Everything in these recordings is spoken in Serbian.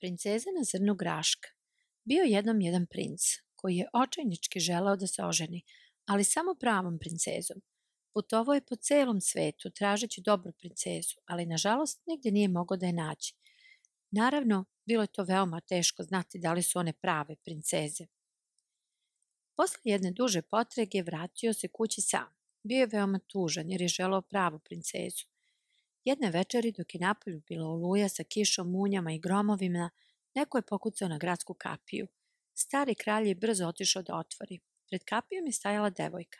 Princeza na zrnu graška. Bio jednom jedan princ, koji je očajnički želeo da se oženi, ali samo pravom princezom. Putovao je po celom svetu tražeći dobru princezu, ali nažalost nigdje nije mogao da je nađe. Naravno, bilo je to veoma teško znati da li su one prave princeze. Posle jedne duže potrage vratio se kući sam. Bio je veoma tužan jer je želeo pravu princezu. Jedne večeri dok je napolju bila oluja sa kišom, munjama i gromovima, neko je pokucao na gradsku kapiju. Stari kralj je brzo otišao da otvori. Pred kapijom je stajala devojka.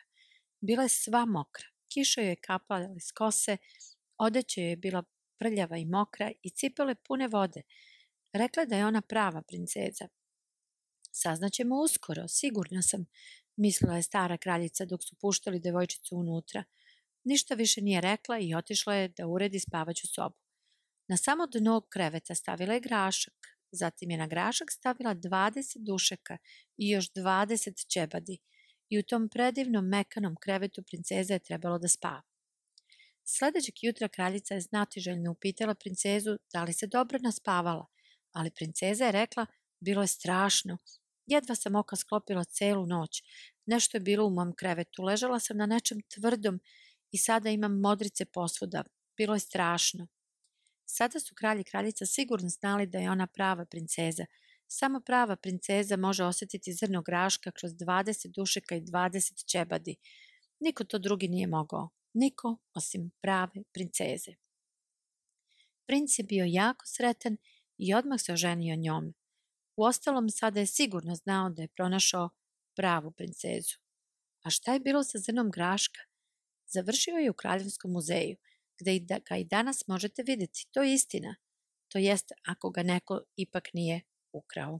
Bila je sva mokra. Kiša joj je kapala iz kose, odeća joj je bila prljava i mokra i cipele pune vode. Rekla je da je ona prava princeza. Saznaćemo uskoro, sigurna sam, mislila je stara kraljica dok su puštali devojčicu unutra. Ništa više nije rekla i otišla je da uredi spavaću sobu. Na samo dno kreveta stavila je grašak, zatim je na grašak stavila 20 dušeka i još 20 ćebadi i u tom predivnom mekanom krevetu princeza je trebalo da spava. Sledećeg jutra kraljica je znatiželjno upitala princezu da li se dobro naspavala, ali princeza je rekla bilo je strašno. Jedva sam oka sklopila celu noć. Nešto je bilo u mom krevetu. Ležala sam na nečem tvrdom i sada imam modrice posvuda. Bilo je strašno. Sada su kralj i kraljica sigurno znali da je ona prava princeza. Samo prava princeza može osjetiti zrno graška kroz 20 dušeka i 20 ćebadi. Niko to drugi nije mogao. Niko osim prave princeze. Princ je bio jako sretan i odmah se oženio njome. Uostalom, sada je sigurno znao da je pronašao pravu princezu. A šta je bilo sa zrnom graška? Završio je u Kraljevskom muzeju, gde ga i danas možete vidjeti. To je istina. To jest ako ga neko ipak nije ukrao.